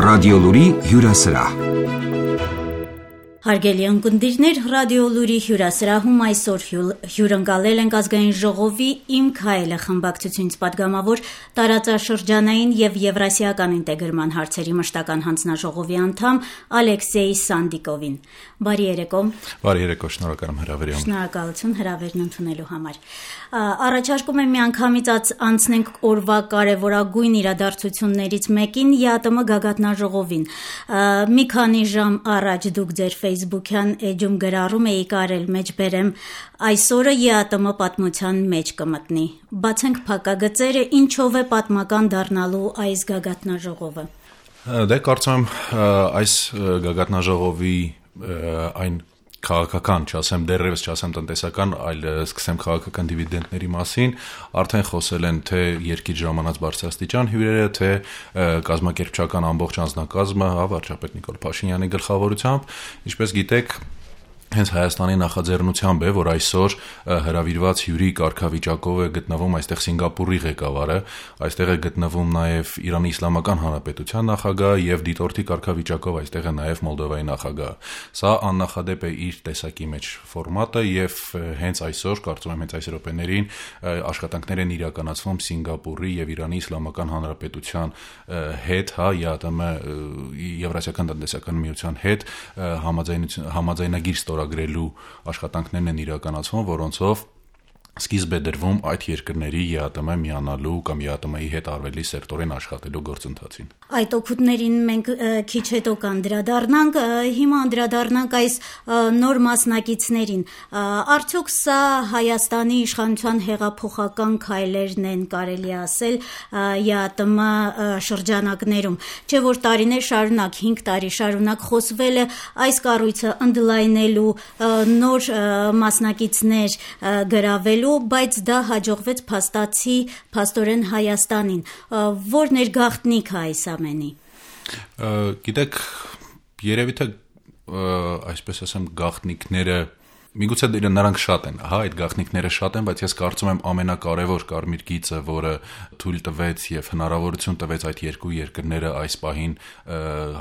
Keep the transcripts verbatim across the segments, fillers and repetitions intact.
Ռադիոլուրի հյուրասրահ։ Հարգելի ունկնդիրներ, Ռադիոլուրի հյուրասրահում այսօր հյուրընկալել ենք Ազգային ժողովի «Իմ քայլը» խմբակցությունից պատգամավոր տարածաշրջանային եւ եվրասիական ինտեգրման հարցերի մշտական հանձնաժողովի անդամ Ալեքսեյ Սանդիկովին։ Բարի երեկո։ Բարի երեկո, շնորհակալ եմ հրավերի համար։ Շնորհակալություն հրավերն ընդունելու համար։ Առաջարկում եմ միանգամից անցնենք օրվա կարևորագույն իրադարձություններից մեկին՝ ԵԱՏՄ գագաթնաժողովին։ Մի քանի ժամ առաջ դուք ձեր Facebook-յան էջում գրառում էիք արել մեջբերեմ այսօրը ԵԱՏՄ պատմության մեջ կմտնի։ Բացենք փակագծերը, ինչով է պատմական դառնալու այս գագաթնաժողովը։ Դե կարծում եմ այս գագաթնաժողովի այն քաղաքական, չասեմ դեռևս չասեմ տնտեսական, այլ սկսեմ քաղաքական դիվիդենդների մասին, արդեն խոսել են թե երկիր ժամանած բարձրաստիճան հյուրերը, թե կազմակերպչական ամբողջ անձնակազմը, հա, վարչապետ Նիկոլ Փաշինյանի գլխավորությամբ, ինչպես գիտեք, հենց Հայաստանի նախաձեռնությամբ է, որ այսօր հրավիրված հյուրի կարգավիճակով է գտնվում այստեղ Սինգապուրի ղեկավարը, այստեղ է գտնվում նաև Իրանի Իսլամական Հանրապետության նախագահը եւ դիտորդի կարգավիճակով այստեղ է նաև Մոլդովայի նախագահը։ Սա աննախադեպ է իր տեսակի մեջ ֆորմատը եւ հենց այսօր, կարծում եմ հենց այս րոպեներին աշխատանքներ են իրականացվում Սինգապուրի եւ Իրանի Իսլամական Հանրապետության հետ, հա, ԵԱՏՄ Եվրասիական տնտեսական միության հետ համաձայնություն համաձայնագիր ստորագրելու աշխատանքներն են իրականացվում, որոնցով սկիզբ է դրվում այդ երկրների ԵԱՏՄ միանալու կամ ԵԱՏՄ-ի հետ արվելի սերտորեն աշխատելու գործընթացին։ Այդ օգուտներին մենք քիչ հետո կանդրադառնանք, հիմա անդրադառնանք այս նոր մասնակիցներին։ Արդյոք սա Հայաստանի իշխանության հեղափոխական քայլերն են, կարելի ասել, ԵԱՏՄ շրջանակներում, չէ՞ որ տարիներ շարունակ, հինգ տարի շարունակ խոսվել է այս կառույցը ընդլայնելու, նոր մասնակիցներ գրավելու, բայց դա հաջողվեց փաստացի փաստորեն Հայաստանին, որ ներգաղթնիք է այս ամենի։ Գիտեք, երևի թե այսպես ասեմ գաղտնիքները միգուցե նրանք շատ են, հա, այդ գաղտնիքները շատ են, բայց ես կարծում եմ ամենակարևոր կարմիր գիծը, որը թույլ տվեց եւ հնարավորություն տվեց այդ երկու երկրները այս պահին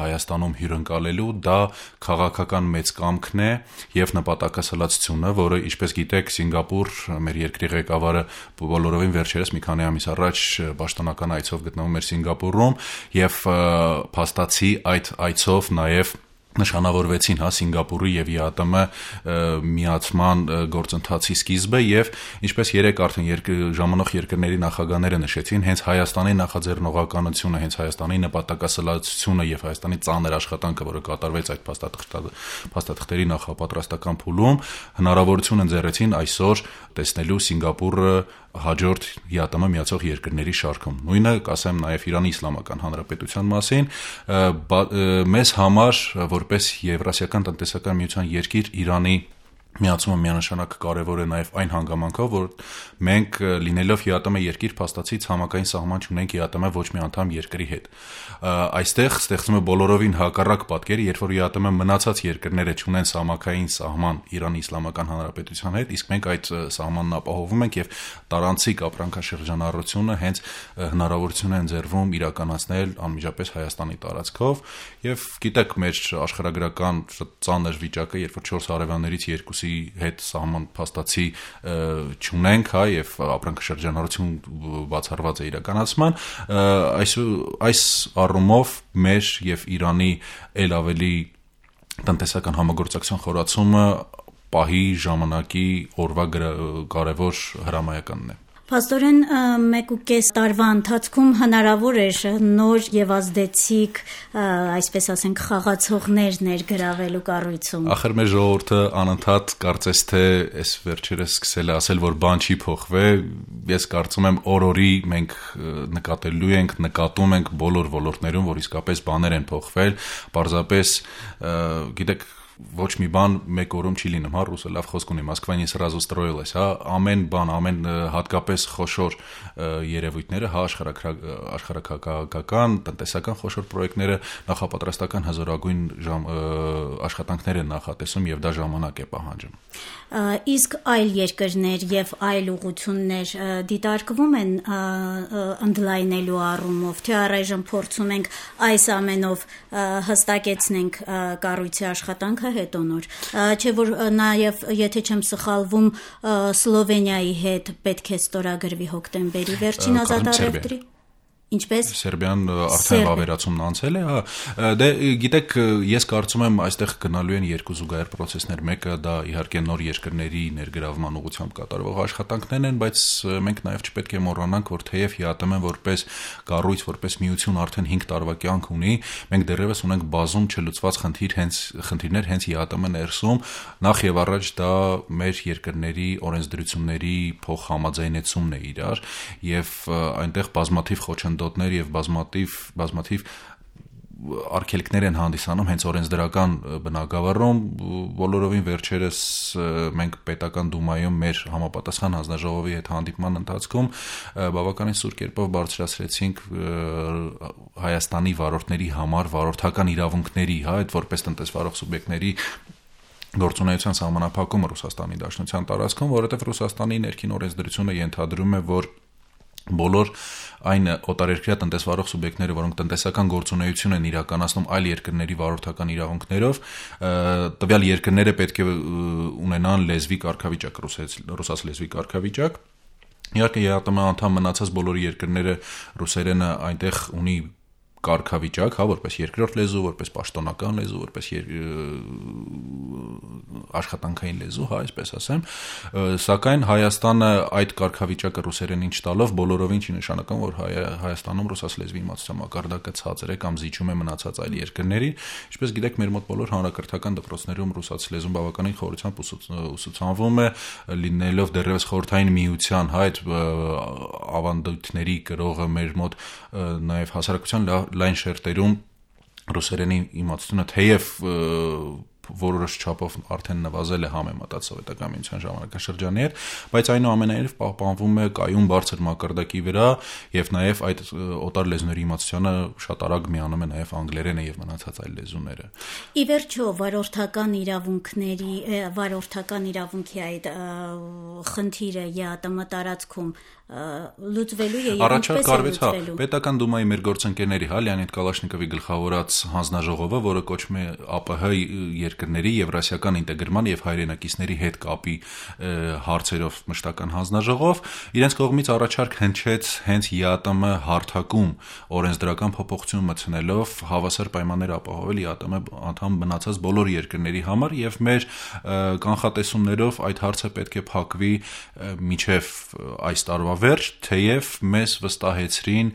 Հայաստանում հյուրընկալելու, դա քաղաքական մեծ կամքն է եւ նպատակասլացությունը, որը ինչպես գիտեք Սինգապուր մեր երկրի ղեկավարը բոլորովին վերջերս մի քանի ամիս առաջ պաշտոնական այցով գտնվում էր Սինգապուրում եւ փաստացի այդ այցով նաեւ նշանավորվեցին, հա, Սինգապուրի եւ ԵԱՏՄ միացման գործընթացի սկիզբը եւ ինչպես երեք արդեն երկր, ժամանող երկրների նախագահները նշեցին, հենց Հայաստանի նախաձեռնողականությունը, հենց Հայաստանի նպատակասլացությունը եւ Հայաստանի ծանր աշխատանքը, որը կատարվեց այդ փաստաթղթերի նախապատրաստական փուլում, հնարավորություն ընձեռեցին այսօր տեսնելու Սինգապուրը հաջորդ ԵԱՏՄ միացող երկրների շարքում։ Նույնը կասեմ նաև Իրանի Իսլամական Հանրապետության մասին, մեզ համար որպես Եվրասիական տնտեսական միության երկիր Իրանի միացումը միանշանակ կարևոր է նաև այն հանգամանքով, որ մենք լինելով ԵԱՏՄ երկիր փաստացի ցամաքային սահման չունենք ԵԱՏՄ ոչ մի անդամ երկրի հետ։ Այստեղ ստեղծվում է բոլորովին հակառակ պատկեր, երբ որ ԵԱՏՄ մնացած երկրները չունեն ցամաքային սահման Իրանի Իսլամական Հանրապետության հետ, իսկ մենք այդ սահմանն ապահովում ենք եւ տարանցիկ ապրանքաշրջանառությունը հենց հնարավորություն է ընձեռվում իրականացնել անմիջապես Հայաստանի տարածքով եւ գիտեք մեր աշխարհագրական ծանր վիճակը, երբ որ չորս հարևաններից երկուսի հետ սահման փաստացի չունենք, հա, եւ ապրանքաշրջանառություն բացառված է իրականացման, այս այս առումով մեր եւ Իրանի ել ավելի տնտեսական համագործակցության խորացումը պահի ժամանակի օրվա կարևոր հրամայականն է։ Փաստորեն մեկ ու կես տարվա ընթացքում հնարավոր էր նոր եւ ազդեցիկ, այսպես ասենք, խաղացողներ ներգրավելու կառույցում։ Ախր մեր ժողովուրդը անընդհատ կարծես թե այս վերջերս սկսել է ասել, որ բան չի փոխվել, ես կարծում եմ օր-օրի մենք նկատելու ենք, նկատում ենք բոլոր ոլորտներում, որ իսկապես բաներ են փոխվել, պարզապես գիտեք ոչ մի բան մեկ օրում չի լինում, հա, ռուսը լավ խոսք ունի, Մոսկվա не сразу строилась, հա, ամեն բան, ամեն հատկապես խոշոր երևույթները, հա, աշխարհակաղակական, տնտեսական խոշոր պրոյեկտները նախապատրաստական հզորագույն աշխատանքներ են նախատեսում եւ դա ժամանակ է պահանջում։ Իսկ այլ երկրներ եւ այլ ուղղություններ դիտարկվում են ընդլայնելու առումով, թե առայժմ փորձում ենք այս ամենով հստակեցնենք կառույցի աշխատանքը հետո նոր, չէ որ նաեւ եթե չեմ սխալվում Սլովենիայի հետ պետք է ստորագրվի հոկտեմբերի վերջին ազատարևտրի Ինչպես Սերբիան արդեն վավերացումն անցել է, հա, դե գիտեք, ես կարծում եմ այստեղ գնալու են երկու զուգահեռ process-ներ, մեկը դա իհարկե նոր երկրների ներգրավման ուղղությամբ կատարվող աշխատանքներն են, բայց մենք նաև չպետք է մոռանանք, որ թեև ՀԱՏՄ-ը որպես կառույց, որպես միություն արդեն հինգ տարվա կյանք ունի, մենք դեռևս ունենք բազում չլուծված խնդիր, հենց խնդիրներ հենց ՀԱՏՄ ներսում, նախ եւ առաջ դա մեր երկրների օրենսդրությունների փոխհամաձայնեցումն է իրար եւ այնտեղ բազմաթիվ խոչընդոտներ դոտներ եւ բազմաթիվ բազմաթիվ արգելքներ են հանդիսանում հենց օրենսդրական բնագավառում բոլորովին վերջերս մենք պետական դումայում մեր համապատասխան հանձնաժողովի հետ հանդիպման ընթացքում բավականին սուր կերպով բարձրացրեցինք Հայաստանի վարորդների համար վարորդական իրավունքների, հա, այդ որպես տնտեսվարող սուբյեկտների գործունեության սահմանափակումը Ռուսաստանի Դաշնության տարածքում, որովհետեւ Ռուսաստանի ներքին օրենսդրությունը ենթադրում է, որ բոլոր այն օտարերկրյա տնտեսվարող սուբյեկտները, որոնք տնտեսական գործունեություն են իրականացնում այլ երկրների վարորդական իրավունքներով, տվյալ երկրները պետք է ունենան լեզվի կարգավիճակ, ռուսաց լեզվի կարգավիճակ։ Իհարկե ՀԱՏՄ անդամ մնացած բոլոր երկրները ռուսերենը այնտեղ ունի կարգավիճակ, հա, որպես երկրորդ լեզու, որպես պաշտոնական լեզու, որպես աշխատանքային լեզու, հա, այսպես ասեմ, սակայն Հայաստանը այդ կարգավիճակը ռուսերենին չտալով բոլորովին չի նշանակում, որ Հայաստանում ռուսաց լեզվի իմացության մակարդակը ցածր է կամ զիջում է մնացած այլ երկրների, ինչպես գիտեք, մեր մոտ բոլոր հանրակրթական դպրոցներում ռուսաց լեզուն բավականին խորությամբ ուսուցանվում է, լինելով դեռևս խորհրդային միության, հա, այդ ավանդույթների կրողը մեր մոտ նաև հասարակության լայն շերտերում ռուսերենի իմացությունը թեև որոշ չափով արդեն նվազել է համեմատած սովետական միության ժամանակաշրջանի հետ, բայց այնուամենայնիվ պահպանվում է կայուն բարձր մակարդակի վրա եւ նաեւ այդ օտար լեզուների իմացությանը շատ արագ միանում է նաեւ անգլերենը եւ մնացած այլ լեզուները։ Ի վերջո վարորդական իրավունքների վարորդական իրավունքի այդ խնդիրը ԵԱՏՄ տարածքում լուծվելու է եւ ինչպես է լուծվելու։ Պետական դումայի մեր գործընկերների, հա, Լեոնիդ Կալաշնիկովի գլխավորած հանձնաժողովը, որը կոչվում է ԱՊՀ երկրների եվրասիական ինտեգրման եւ հայրենակիցների հետ կապի հարցերով մշտական հանձնաժողով, իրենց կողմից առաջարկ հնչեց հենց ԵԱՏՄ հարթակում օրենսդրական փոփոխություն մտցնելով հավասար պայմաններ ապահովել ԵԱՏՄ անդամ մնացած բոլոր երկրների համար եւ մեր կանխատեսումներով այդ հարցը պետք է փակվի մինչեւ այս տարվա վերջ, թեև մեզ վստահեցրին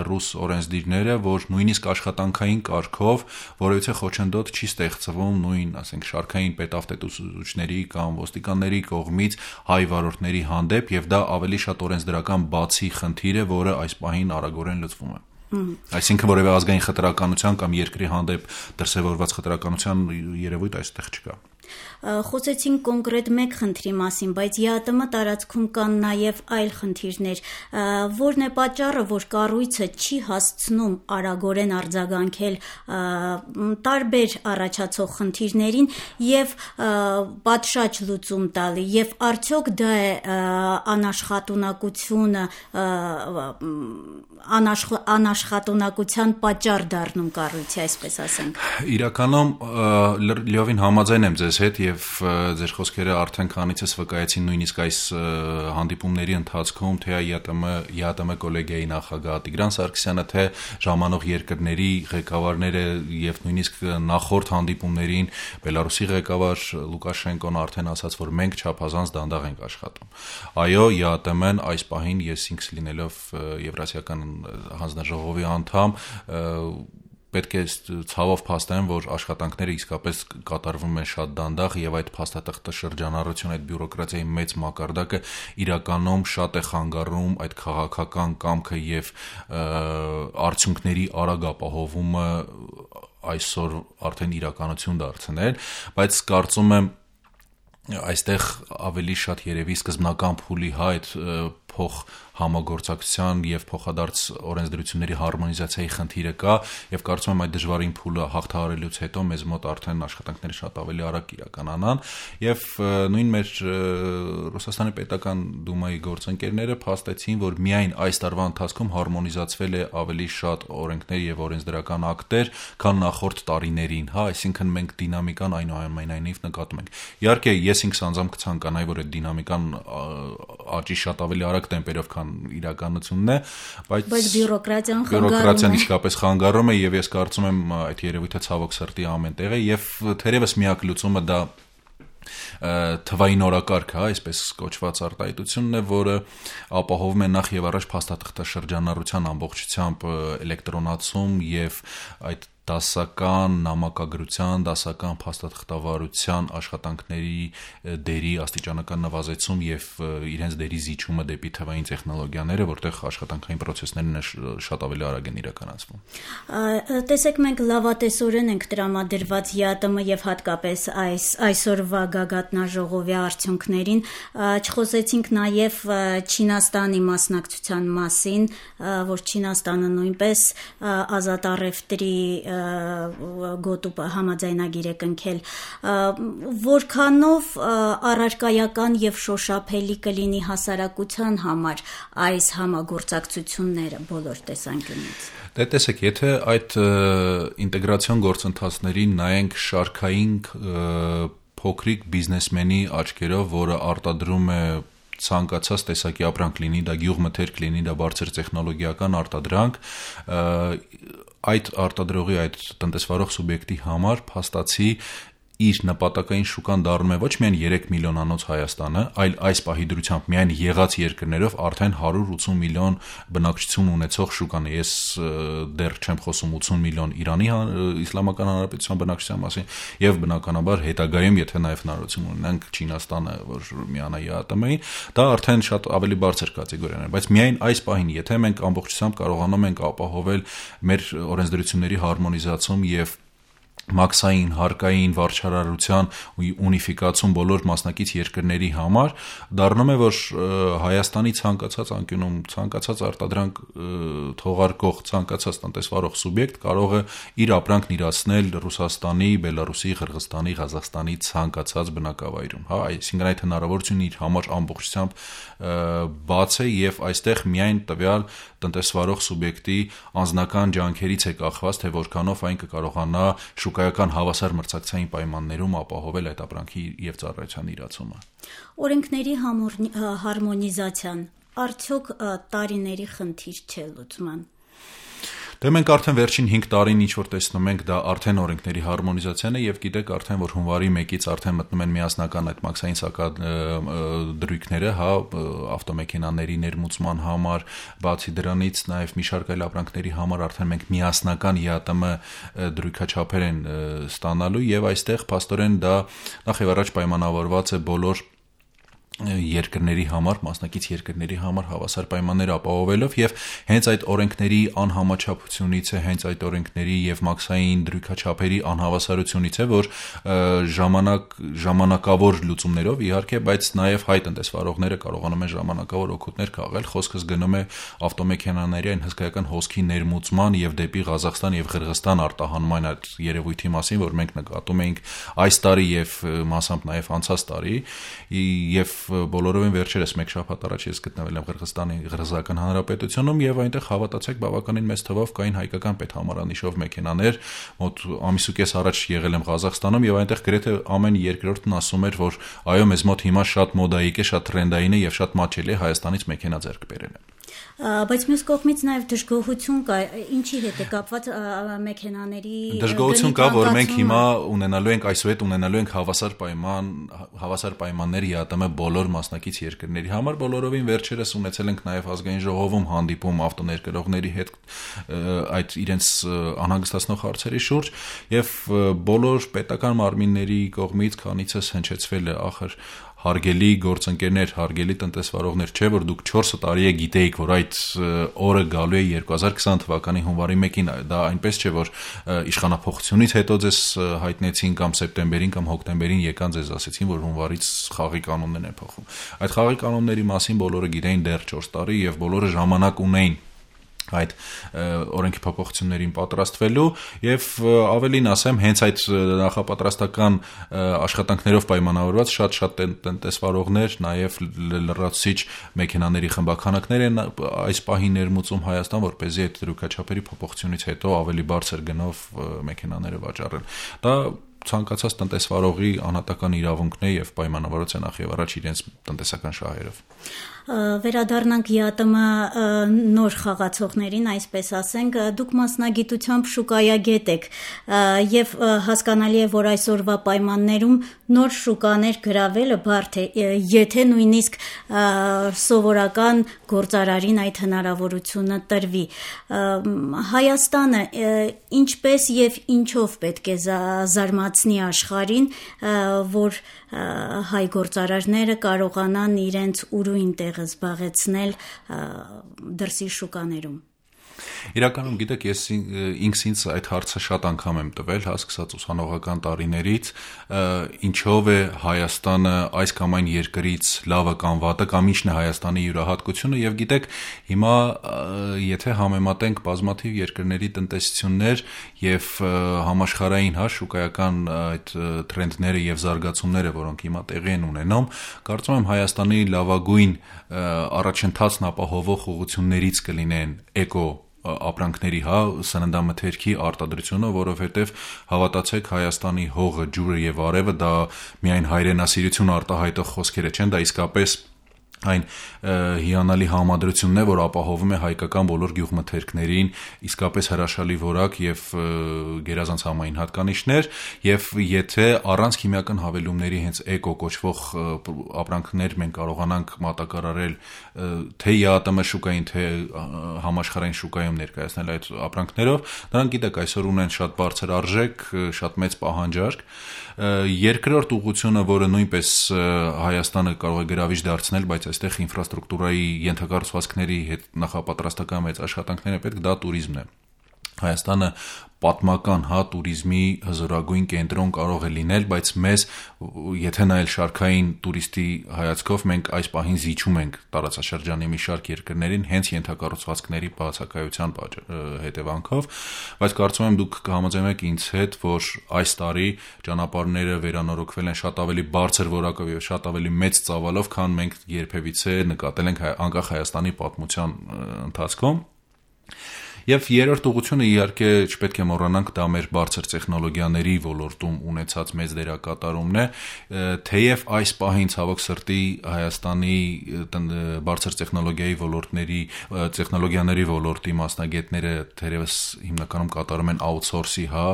ռուս օրենսդիրները, որ նույնիսկ աշխատանքային կարգով որևիցե խոչընդոտ չի ստեղծվում նույն, ասենք, շարքային պետավտետուսուցիչների կամ ոստիկանների կողմից հայ վարորդների հանդեպ եւ դա ավելի շատ օրենսդրական բացի խնդիր է, որը այս պահին արագորեն լուծվում է։ Այսինքն որևէ ազգային խտրականության կամ երկրի հանդեպ դրսևորված խտրականության երևույթ այստեղ չկա։ Խոսեցինք կոնկրետ մեկ խնդրի մասին, բայց ԵԱՏՄ տարածքում կան նաև այլ խնդիրներ, որն է պատճառը, որ կառույցը չի հասցնում արագորեն արձագանքել տարբեր առաջացող խնդիրներին եւ պատշաճ լուծում տալի, եւ արդյոք դա է անաշխատունակությունը անաշխատունակության պատճառ դառնում կառույցի, այսպես ասենք։ Իրականում լիովին համաձայն եմ ձեզ հետ եւ ձեր խոսքերը արդեն քանիցս վկայեցին նույնիսկ այս հանդիպումների ընթացքում, թե ԵԱՏՄ ԵԱՏՄ կոլեգիայի նախագահ Տիգրան Սարգսյանը, թե ժամանող երկրների ղեկավարները եւ նույնիսկ նախորդ հանդիպումներին Բելարուսի ղեկավար Լուկաշենկոն արդեն ասաց, որ մենք չափազանց դանդաղ ենք աշխատում։ Այո, ԵԱՏՄ-ն այս պահին ես ինքս լինելով Եվրասիական հանձնաժողովի անդամ պետք է ցավով փաստեմ, որ աշխատանքները իսկապես կատարվում են շատ դանդաղ եւ այդ փաստաթղթը շրջանառություն, այդ բյուրոկրատիայի մեծ մակարդակը իրականում շատ է խանգարում այդ քաղաքական կամքը եւ արդյունքների արագ ապահովումը այսօր արդեն իրականություն դարձնել, բայց կարծում եմ այստեղ ավելի շատ երևի սկզբնական փուլի հայտ փոխ համագործակցության եւ փոխադարձ օրենսդրությունների հարմոնիզացիայի խնդիրը կա եւ կարծում եմ այդ դժվարին փուլը հաղթահարելուց հետո մեզ մոտ արդեն աշխատանքները շատ ավելի արագ իրականանան եւ նույն մեր Ռուսաստանի պետական դումայի գործընկերները փաստեցին, որ միայն այս տարվա ընթացքում հարմոնիզացվել է ավելի շատ օրենքներ եւ օրենսդրական ակտեր, քան նախորդ տարիներին, հա, այսինքն մենք դինամիկան այնուամենայնիվ նկատում ենք։ Իհարկե, ես ինքս անձամբ կցանկանայի, որ այդ դինամիկան աճի շատ ավելի արագ տեմպերով քան իրականությունն է, բայց բայց բյուրոկրատիան խանգարում է։ Բյուրոկրատիան իսկապես խանգարում է եւ ես կարծում եմ այդ երևույթը ցավոք սրտի ամեն տեղ է եւ թերևս միակ լուծումը դա թվային օրակարգ, հա, այսպես կոչված արտահայտությունն է, որը ապահովում է նախ եւ առաջ փաստաթղթաշրջանառության ամբողջությամբ էլեկտրոնացում եւ այդ դասական նամակագրության, դասական փաստաթղթավարության աշխատանքների դերի աստիճանական նվազեցում եւ իրենց դերի զիջումը դեպի թվային տեխնոլոգիաները, որտեղ աշխատանքային process-ներն շատ ավելի արագ են իրականացվում։ Տեսեք, մենք լավատեսորեն ենք տրամադրված ԵԱՏՄ եւ հատկապես այս այսօրվա գագաթնաժողովի արդյունքներին, չխոսեցինք նաեւ Չինաստանի մասնակցության մասին, որ Չինաստանը նույնպես ազատ առևտրի գոտու համաձայնագիր է կնքել, որքանով առարկայական եւ շոշափելի կլինի հասարակության համար այս համագործակցությունները բոլոր տեսանկյունից։ Դե տեսեք, եթե այդ ինտեգրացիոն գործընթացներին նայենք շարքային փոքրիկ բիզնեսմենի աչքերով, որը արտադրում է ցանկացած տեսակի ապրանք լինի, դա գյուղմթերք լինի, դա բարձր տեխնոլոգիական արտադրանք, այդ արտադրողի, այդ տնտեսվարող սուբյեկտի համար փաստացի իր նպատակային շուկան դառնում է ոչ միայն երեք միլիոնանոց Հայաստանը, այլ այս պահի դրությամբ միայն եղած երկրներով արդեն հարյուր ութսուն միլիոն բնակչություն ունեցող շուկան է։ Ես դեռ չեմ խոսում ութսուն միլիոն Իրանի Իսլամական Հանրապետության բնակչության մասին եւ բնականաբար հետագայում, եթե նաեւ հնարավորություն ունենանք Չինաստանը, որ միանա ԵԱՏՄ-ին, դա արդեն շատ ավելի բարձր կատեգորիան է, բայց միայն այս պահին, եթե մենք ամբողջությամբ կարողանում ենք ապահովել մեր օրենսդրությունների հարմոնիզացում եւ մաքսային, հարկային, վարչարարության ունիֆիկացում բոլոր մասնակից երկրների համար, դառնում է, որ Հայաստանի ցանկացած անկյունում, ցանկացած արտադրանք թողարկող, ցանկացած տնտեսվարող սուբյեկտ կարող է իր ապրանքն իրացնել Ռուսաստանի, Բելարուսի, Ղրղստանի, Ղազախստանի ցանկացած բնակավայրում, հա, այսինքն այդ հնարավորությունն իր համար ամբողջությամբ բաց է եւ այստեղ միայն տվյալ տնտեսվարող սուբյեկտի անձնական ջանքերից է կախված, թե որքանով այն կկարողանա շուկայական հավասար մրցակցային պայմաններում ապահովել այդ ապրանքի եւ ծառայության իրացումը։ Օրենքների հարմոնիզացիան արդյոք տարիների խնդիր չէ լուծման։ Դե մենք արդեն վերջին հինգ տարին ինչ որ տեսնում ենք, դա արդեն օրենքների հարմոնիզացիան է եւ գիտեք արդեն, որ հունվարի մեկից արդեն մտնում են միասնական այդ մաքսային սակադրույքները, հա, ավտոմեքենաների ներմուծման համար, բացի դրանից նաեւ մի շարք այլ ապրանքների համար արդեն մենք միասնական ԵԱՏՄ դրույքաչափեր են ստանալու եւ այստեղ փաստորեն դա նախ եւ առաջ պայմանավորված է բոլոր երկրների համար, մասնակից երկրների համար հավասար պայմաններ ապահովելով եւ հենց այդ օրենքների անհամաչափությունից է, հենց այդ օրենքների եւ մաքսային դրույքաչափերի անհավասարությունից է, որ ժամանակ ժամանակավոր լուծումներով իհարկե, բայց նաեւ հայ տնտեսվարողները կարողանում են ժամանակավոր օգուտներ քաղել, խոսքս գնում է ավտոմեքենաների այն հսկայական հոսքի ներմուծման եւ դեպի Ղազախստան եւ Ղրղստան արտահանման այդ երևույթի մասին, որ մենք նկատում էինք այս տարի եւ մասամբ նաեւ անցած տարի եւ բոլորովին վերջերս մեկ շաբաթ առաջ ես գտնվել եմ Ղրղստանի Ղրղզական Հանրապետությունում եւ այնտեղ հավատացեք բավականին մեծ թվով կային հայկական պետհամարանիշով մեքենաներ, մոտ ամիս ու կես առաջ եղել եմ Ղազախստանում եւ այնտեղ գրեթե ամեն երկրորդն ասում էր, որ այո, մեզ մոտ հիմա շատ մոդայիկ է, շատ տրենդային է եւ շատ մաչելի է Հայաստանից մեքենա ձեռք բերելը։ Բայց մյուս կողմից նաև դժգոհություն կա, ինչի հետ է կապված մեքենաների դժգոհություն կա, որ մենք հիմա ունենալու ենք այսուհետ ունենալու ենք հավասար պայման, հավասար պայմաններ ԵԱՏՄ բոլոր մասնակից երկրների համար, բոլորովին վերջերս ունեցել ենք նաև ազգային ժողովում հանդիպում ավտոներկրողների հետ այդ իրենց անհանգստացնող հարցերի շուրջ եւ բոլոր պետական մարմինների կողմից քանիցս հնչեցվել է ախր հարգելի գործընկերներ, հարգելի տնտեսվարողներ, չէ որ դուք չորս տարի է գիտեիք, որ այդ օրը գալու է երկու հազար քսան թվականի հունվարի մեկին, դա այնպես չէ որ իշխանափոխությունից հետո ձեզ հայտնեցին կամ սեպտեմբերին կամ հոկտեմբերին եկան ձեզ ասեցին, որ հունվարից խաղի կանոններն են փոխում։ Այդ խաղի կանոնների մասին բոլորը գիտեին դեռ չորս տարի եւ բոլորը ժամանակ ունեին այդ օրենքի փոփոխություններին պատրաստվելու եւ ավելին ասեմ, հենց այդ նախապատրաստական աշխատանքներով պայմանավորված շատ-շատ տնտեսվարողներ, նաեւ լրացուցիչ մեքենաների խմբականակներ են այս պահին ներմուծում Հայաստան, որպեսզի այդ դրույքաչափերի փոփոխությունից հետո ավելի բարձր գնով մեքենաները վաճառեն։ Դա ցանկացած տնտեսվարողի անհատական իրավունքն է եւ պայմանավորված է նախ եւ առաջ իրենց տնտեսական շահերով։ Վերադառնանք ԵԱՏՄ նոր խաղացողներին, այսպես ասենք, դուք մասնագիտությամբ շուկայագետ եք եւ հասկանալի է, որ այսօրվա պայմաններում նոր շուկաներ գրավելը բարդ է, եթե նույնիսկ սովորական գործարարին այդ հնարավորությունը տրվի։ Հայաստանը ինչպես եւ ինչով պետք է զարմացնի աշխարհին, որ հայ գործարարները կարողանան իրենց ուրույն տեղը զբաղեցնել դրսի շուկաներում։ Իրականում գիտեք, ես ինքս ինձ այդ հարցը շատ անգամ եմ տվել, հա, սկսած ուսանողական տարիներից, ինչով է Հայաստանը այս կամ այն երկրից լավը կամ վատը, կամ ինչն է Հայաստանի յուրահատկությունը, եւ գիտեք, հիմա եթե համեմատենք բազմաթիվ երկրների տնտեսություններ եւ համաշխարհային, հա, շուկայական այդ տրենդները եւ զարգացումները, որոնք հիմա տեղի են ունենում, կարծում եմ Հայաստանի լավագույն առաջընթացն ապահովող ուղղություններից կլինեն էկո ապրանքների, հա, սննդամթերքի արտադրությունը, որովհետև հավատացեք, Հայաստանի հողը, ջուրը եւ արևը դա միայն հայրենասիրություն արտահայտող խոսքեր չեն, դա իսկապես այն հիանալի համադրությունն է, որ ապահովում է հայկական բոլոր գյուղմթերքներին իսկապես հրաշալի որակ եւ գերազանց համային հատկանիշներ, եւ եթե առանց քիմիական հավելումների հենց էկո կոչվող ապրանքներ մենք կարողանանք մատակարարել թե ԵԱՏՄ շուկային, թե համաշխարհային շուկայում ներկայացնել այդ ապրանքներով, նրանք գիտեք այսօր ունեն շատ բարձր արժեք, շատ մեծ պահանջարկ։ Երկրորդ ուղղությունը, որը նույնպես Հայաստանը կարող է գրավիչ դարձնել, բայց այստեղ ինֆրաստրուկտուրայի ենթակառուցվածքների հետ նախապատրաստական մեծ աշխատանքներ է պետք, դա տուրիզմն է։ Հայաստանը պատմական, հա, տուրիզմի հզորագույն կենտրոն կարող է լինել, բայց մեզ, եթե նայել շարքային տուրիստի հայացքով, մենք այս պահին զիջում ենք տարածաշրջանի մի շարք երկրներին հենց ենթակառուցվածքների բացակայության հետևանքով, բայց կարծում եմ դուք կհամաձայնեք ինձ հետ, որ այս տարի ճանապարհները վերանորոգվել են շատ ավելի բարձր որակով եւ շատ ավելի մեծ ծավալով, քան մենք երբևիցե նկատել ենք անկախ Հայաստանի պատմության ընթացքում։ Եվ երրորդ ուղղությունը իհարկե չպետք է մոռանանք, դա մեր բարձր տեխնոլոգիաների ոլորտում ունեցած մեծ դերակատարումն է, թեև այս պահին ցավոք սրտի Հայաստանի բարձր տեխնոլոգիայի ոլորտների, տեխնոլոգիաների ոլորտի մասնագետները թերևս հիմնականում կատարում են outsource-ի, հա,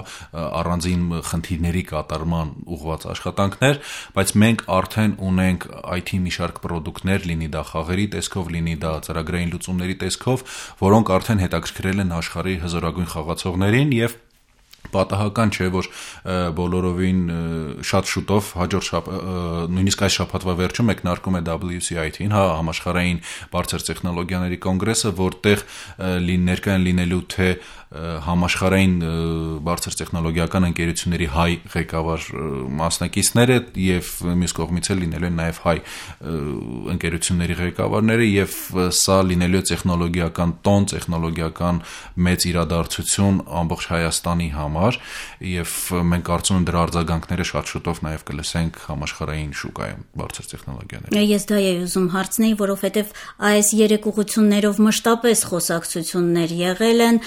առանձին խնդիրների կատարման ուղղված աշխատանքներ, բայց մենք արդեն ունենք այ թի մի շարք պրոդուկտներ, լինի դա խաղերի տեսքով, լինի դա ծրագրային լուծումների տեսքով, որոնք արդեն հետաքրքրել են աշխարհի հզորագույն խաղացողներին եւ պատահական չէ, որ բոլորովին շատ շուտով հաջորդ շաբաթ, նույնիսկ այս շաբաթվա վերջում մեկնարկում է W C I T-ին, հա, համաշխարհային բարձր տեխնոլոգիաների կոնգրեսը, որտեղ ներկա են լինելու թե համաշխարհային բարձր տեխնոլոգիական ընկերությունների հայ ղեկավար մասնակիցները եւ մյուս կողմից էլ լինելու են նաեւ հայ ընկերությունների ղեկավարները եւ սա լինելու է տեխնոլոգիական տոն, տեխնոլոգիական մեծ իրադարձություն ամբողջ Հայաստանի համար եւ մենք կարծում եմ դրա արձագանքները շատ շուտով նաեւ կլսենք համաշխարհային շուկայում բարձր տեխնոլոգիաների։ Ես դա եի ուզում հարցնել, որովհետեւ այս երեք ուղղություններով մշտապես խոսակցություններ եղել են,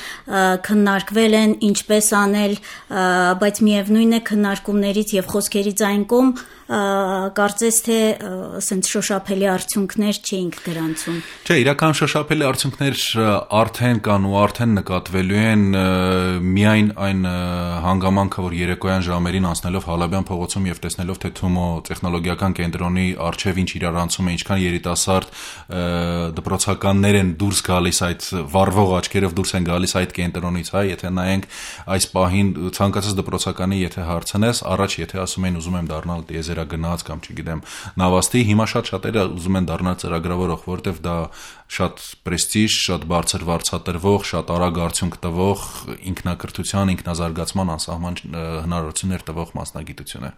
քննարկվել են ինչպես անել, բայց միևնույն է քննարկումներից եւ խոսքերից այն կողմ կարծես թե ասենց շոշափելի արդյունքներ չէինք գրանցում։ Չէ, իրական շոշափելի արդյունքներ արդեն կան ու արդեն նկատվելու են, միայն այն հանգամանքը, որ երեկոյան ժամերին անցնելով Հալաբյան փողոցում եւ տեսնելով թե Թումո տեխնոլոգիական կենտրոնի արչեւ ինչ իրարանցում է, ինչքան երիտասարդ դպրոցականներ են դուրս գալիս այդ վառվող աչքերով դուրս են գալիս այդ կենտրոնից, հա, եթե նայենք այս պահին ցանկացած դպրոցականի եթե հարցնես, առաջ եթե ասում են ուզում եմ դառնալ տիեզերագնաց կամ չգիտեմ նավաստի, հիմա շատ շատերը ուզում են դառնալ ծրագրավորող, որովհետեւ դա շատ պրեստիժ, շատ բարձր վարձատրվող, շատ արագ արդյունք տվող, ինքնակրթության, ինքնազարգացման անսահման հնարավորություններ տվող մասնագիտություն է։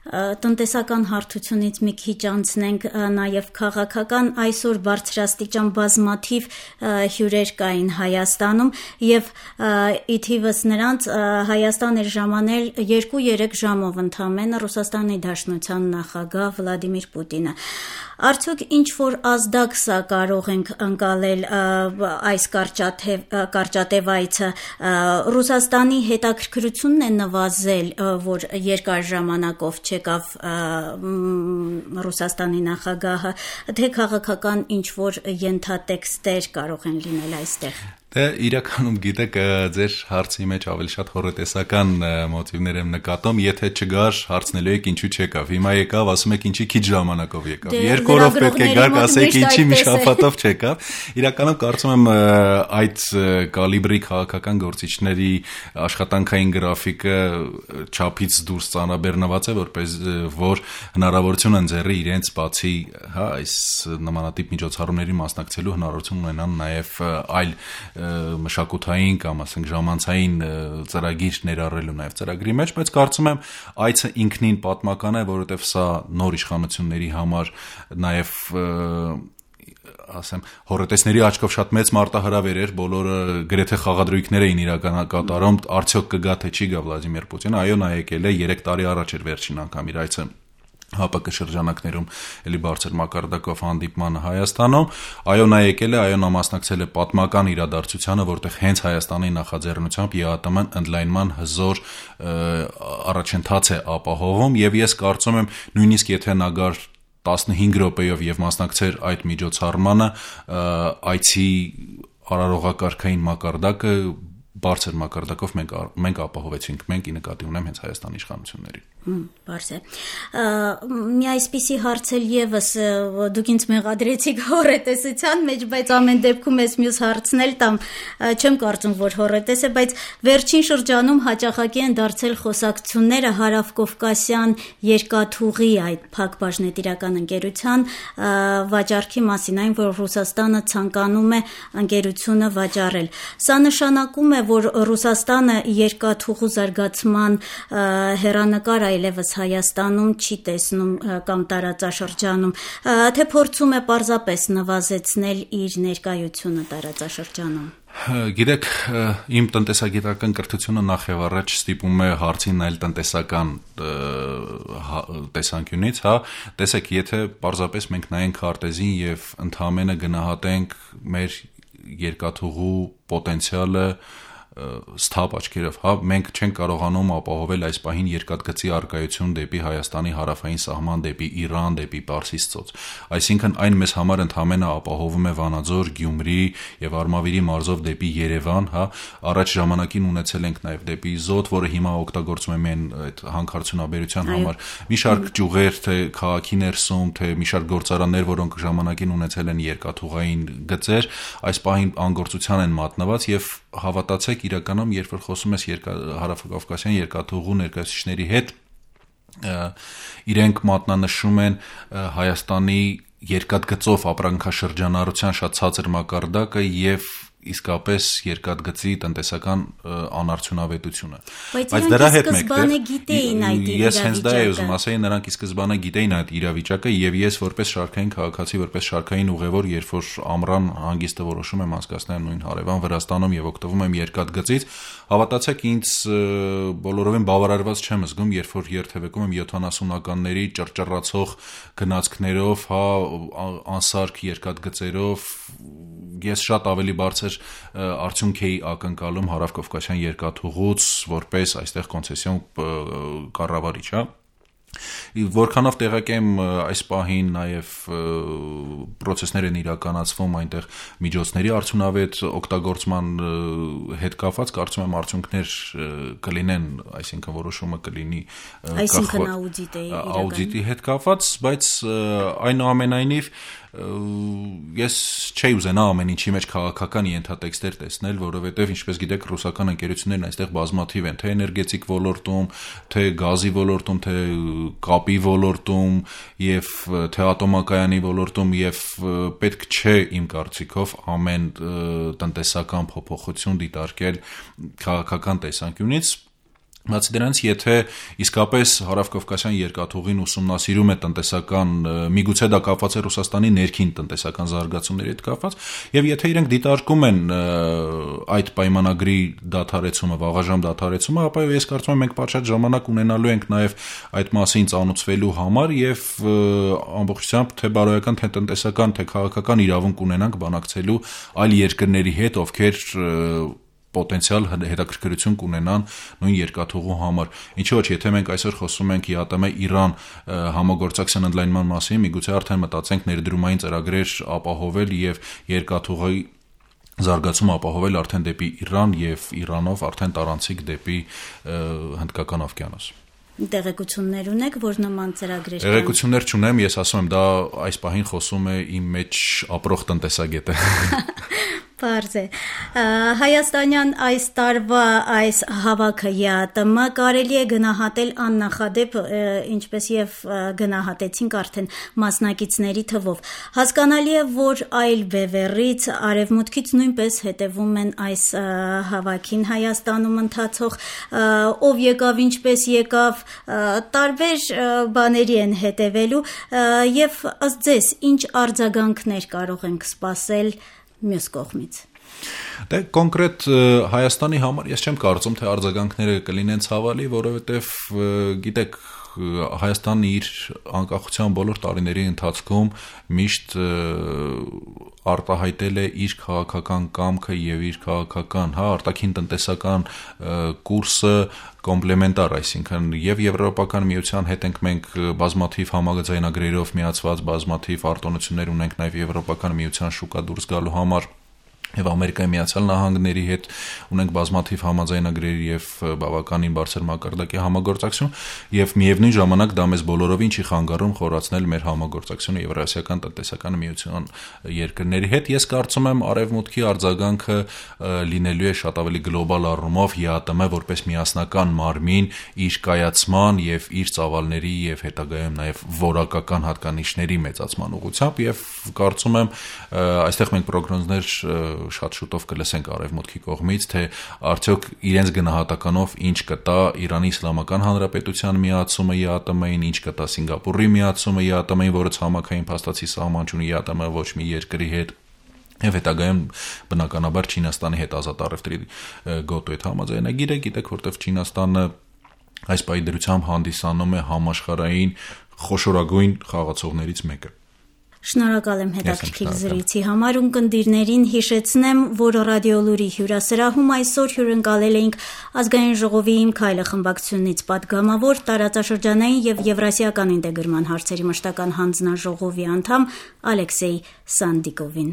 Տնտեսական հարթությունից մի քիչ անցնենք նաև քաղաքական, այսօր բարձրաստիճան բազմաթիվ հյուրեր կային Հայաստանում եւ ի թիվս նրանց Հայաստան էր ժամանել երկու-երեք ժամով ընդամենը Ռուսաստանի Դաշնության նախագահ Վլադիմիր Պուտինը։ Արդյոք ինչ որ ազդակ սա կարող ենք ընկալել այս կարճատև այցը, Ռուսաստանի հետաքրքրությունն է նվազել, որ երկար ժամանակով չեկավ Ռուսաստանի նախագահը, թե քաղաքական ինչ որ ենթատեքստեր կարող են լինել այստեղ։ Դե իրականում գիտեք, ձեր հարցի մեջ ավելի շատ հորոտեսական մոտիվներ եմ նկատում, եթե չգար հարցնելու եք ինչու չեկավ։ Հիմա եկավ, ասում եք ինչի քիչ ժամանակով եկավ։ Երկու օր պետք է գար, ասեք ինչի մի շաբաթով չեկավ։ Իրականում կարծում եմ այդ կալիբրի քաղաքական գործիչների աշխատանքային գրաֆիկը չափից դուրս ծանրաբեռնված է, որպես որ հնարավորություն են ձեռի իրենց բացի, հա, այս նմանատիպ միջոցառումների մասնակցելու հնարավորություն ունենան նաև այլ մշակութային կամ ասենք ժամանցային ծրագիր ներառելու նաև ծրագրի մեջ, բայց կարծում եմ այցը ինքնին պատմական է, որովհետև սա նոր իշխանությունների համար նաև ասեմ հորոտեսների աչքով շատ մեծ մարտահրավեր էր, բոլորը գրեթե խաղադրույքներ էին իրական կատարում, արդյոք կգա թե չի գա Վլադիմիր Պուտինը, այո, նա եկել է երեք տարի առաջ էր վերջին անգամ իր այցը ՀԱՊԿ շրջանակներում էլի բարձր մակարդակով հանդիպմանը Հայաստանում, այո նա եկել է, այո նա մասնակցել է պատմական իրադարձությանը, որտեղ հենց Հայաստանի նախաձեռնությամբ ԵԱՏՄ-ն ընդլայնման հզոր առաջընթաց է ապահովում եւ ես կարծում եմ նույնիսկ եթե նա գար տասնհինգ րոպեով եւ մասնակցեր այդ միջոցառմանը, այցի արարողակարգային մակարդակը բարձր մակարդակով մենք մենք ապահովեցինք, մենք ի նկատի ունեմ հենց Հայաստանի իշխանություններին։ Բարձ է։ Մի այսպիսի հարց էլ եւս դուք ինձ մեղադրեցիք հորետեսության մեջ, բայց ամեն դեպքում ես մյուս հարցն էլ տամ, չեմ կարծում, որ հորետես է, բայց վերջին շրջանում հաճախակի են դարձել խոսակցությունները Հարավկովկասյան երկաթուղի այդ փակ բաժնետիրական ընկերության վաճառքի մասին, այն որ Ռուսաստանը ցանկանում է ընկերությունը վաճառել։ Սա նշանակում է, որ Ռուսաստանը երկաթուղու զարգացման հեռանկար այլևս Հայաստանում չի տեսնում կամ տարածաշրջանում, թե փորձում է պարզապես նվազեցնել իր ներկայությունը տարածաշրջանում։ Գիտեք, իմ տնտեսագիտական կրթությունը նախ եւ առաջ ստիպում է հարցին նայել տնտեսական տեսանկյունից, հա, տեսեք, եթե պարզապես մենք նայենք քարտեզին եւ ընդհանրապես գնահատենք մեր երկաթուղու պոտենցիալը սթափ աչքերով, հա, մենք չենք կարողանում ապահովել այս պահին երկաթգծի արկայություն դեպի Հայաստանի հարավային սահման, դեպի Իրան, դեպի Պարսից ծոց։ Այսինքն այն մեզ համար ընդհանրապես ապահովում է Վանաձոր, Գյումրի եւ Արմավիրի մարզով դեպի Երևան, հա, առաջ ժամանակին ունեցել ենք նաեւ դեպի Զոտ, որը հիմա օգտագործում է մեն այդ հանքարդյունաբերության համար։ Մի շարք ճյուղեր, թե քաղաքի ներսում, թե մի շարք գործարաններ, որոնք ժամանակին ունեցել են երկաթուղային գծեր, այս պահին անգործության են մատնված եւ հավատացեք իրականում երբ որ խոսում ես Հարավկովկասյան երկաթուղու ներկայացուցիչների հետ իրենք մատնանշում են Հայաստանի երկաթգծով ապրանքաշրջանառության շատ ցածր մակարդակը եւ իսկապես երկաթգծի տնտեսական անարդյունավետությունը։ Բայց դրա հետ մեկտեղ ես հենց դա եմ ուզում ասել, նրանք ի սկզբանե գիտեին այդ իրավիճակը եւ ես որպես շարքային քաղաքացի, որպես շարքային ուղևոր, երբ որ ամռան հանգիստը որոշում եմ անցկացնել նույն հարևան Վրաստանում եւ օգտվում եմ երկաթգծից, հավատացեք ինձ բոլորովին բավարարված չեմ զգում, երբ որ երթևեկում եմ յոթանասունականների ճռճռացող գնացքներով, հա, անսարք երկաթգծերով, ես շատ ավելի բարձր արդյունք էի ակնկալում Հարավկովկասյան երկաթուղուց որպես այստեղ կոնցեսիոն կառավարիչ, հա։ Որքանով տեղակ եմ այս պահին նաև պրոցեսներ են իրականացվում այնտեղ միջոցների արդյունավետ օգտագործման հետ կապված, կարծում եմ արդյունքներ կլինեն, այսինքն որոշումը կլինի այսինքն աուդիտի աուդիտի հետ կապված, բայց այնուամենայնիվ ես չէի ուզենա ամեն ինչի մեջ քաղաքական ենթատեքստեր տեսնել, որովհետև ինչպես գիտեք, ռուսական ընկերություններն այստեղ բազմաթիվ են, թե էներգետիկ ոլորտում, թե գազի ոլորտում, թե կապի ոլորտում եւ թե ատոմակայանի ոլորտում եւ պետք չէ իմ կարծիքով ամեն տնտեսական փոփոխություն դիտարկել քաղաքական տեսանկյունից Բացի դրանից, եթե իսկապես հարավկովկասյան երկաթուղին ուսումնասիրում է տնտեսական, միգուցե դա կապված է Ռուսաստանի ներքին տնտեսական զարգացումների հետ կապված, եւ եթե իրենք դիտարկում են այդ պայմանագրի դադարեցումը, վաղաժամ դադարեցումը, ապա ես կարծում եմ մենք պատշաճ ժամանակ ունենալու ենք նաեւ այդ մասին ծանոթվելու համար եւ ամբողջությամբ թե բարոյական, թե տնտեսական, թե քաղաքական իրավունք ունենանք բանակցելու այլ երկրների հետ, ովքեր պոտենցիալ հետաքրքրություն կունենան նույն երկաթուղու համար։ Ինչու՞ ոչ, եթե մենք այսօր խոսում ենք ԵԱՏՄ-Իրան համագործակցության ընդլայնման մասին, միգուցե արդեն մտածենք ներդրումային ծրագրեր ապահովել եւ երկաթուղի զարգացում ապահովել արդեն դեպի Իրան եւ Իրանով արդեն տարանցիկ դեպի Հնդկական օվկիանոս։ Տեղեկություններ ունեք, որ նման ծրագրեր կան։ Տեղեկություններ չունեմ, ես ասում եմ, դա այս պահին խոսում է իմ մեջ ապրող տնտեսագետը։ Պարզ է։ Հայաստանյան այս տարվա այս հավաքը ԵԱՏՄ կարելի է գնահատել աննախադեպ, ինչպես եւ գնահատեցինք արդեն մասնակիցների թվով։ Հասկանալի է, որ այլ բևեռից, արևմուտքից նույնպես հետևում են այս հավաքին Հայաստանում ընթացող, ով եկավ, ինչպես եկավ, տարբեր բաների են հետևելու եւ ըստ ձեզ ինչ արձագանքներ կարող ենք սպասել մյուս կողմից։ Դե կոնկրետ Հայաստանի համար ես չեմ կարծում, թե արձագանքները կլինեն ցավալի, որովհետև գիտեք Հայաստանը իր անկախության բոլոր տարիների ընթացքում միշտ արտահայտել է իր քաղաքական կամքը եւ իր քաղաքական, հա, արտաքին տնտեսական կուրսը կոմպլեմենտար, այսինքն եւ Եվրոպական միության հետ ենք մենք բազմաթիվ համաձայնագրերով միացված, բազմաթիվ արտոնություններ ունենք նաեւ Եվրոպական միության շուկա դուրս գալու համար եւ Ամերիկայի Միացյալ Նահանգների հետ ունենք բազմաթիվ համաձայնագրեր եւ բավականին բարձր մակարդակի համագործակցություն եւ միևնույն ժամանակ դա մեզ բոլորովին չի խանգարում խորացնել մեր համագործակցությունը Եվրասիական տնտեսական միության երկրների հետ։ Ես կարծում եմ արևմուտքի արձագանքը լինելու է շատ ավելի գլոբալ առումով ԵԱՏՄ որպես միասնական մարմին իր կայացման եւ իր ծավալների եւ հետագայում նաեւ որակական հատկանիշների մեծացման ուղղությամբ եւ կարծում եմ այստեղ մենք պրոգնոզներ շատ շուտով կլսենք արևմուտքի կողմից, թե արդյոք իրենց գնահատականով ինչ կտա Իրանի Իսլամական Հանրապետության միացումը ԵԱՏՄ-ին, ինչ կտա Սինգապուրի միացումը ԵԱՏՄ-ին, որը ցամաքային փաստացի սահման չունի ԵԱՏՄ ոչ մի երկրի հետ, եւ հետագայում բնականաբար Չինաստանի հետ ազատ առևտրի գոտու հետ համաձայնագիր է, գիտեք, որտեվ Չինաստանը այս պահի դրությամբ հանդիսանում է համաշխարհային խոշորագույն խաղացողներից մեկը։ Շնորհակալ եմ հետաքրքիր զրույցի համար, ունկնդիրներին հիշեցնեմ, որ ռադիոլուրի հյուրասրահում այսօր հյուրընկալել էինք Ազգային ժողովի Իմ քայլը խմբակցությունից պատգամավոր, տարածաշրջանային եւ եվրասիական ինտեգրման հարցերի մշտական հանձնաժողովի անդամ Ալեքսեյ Սանդիկովին։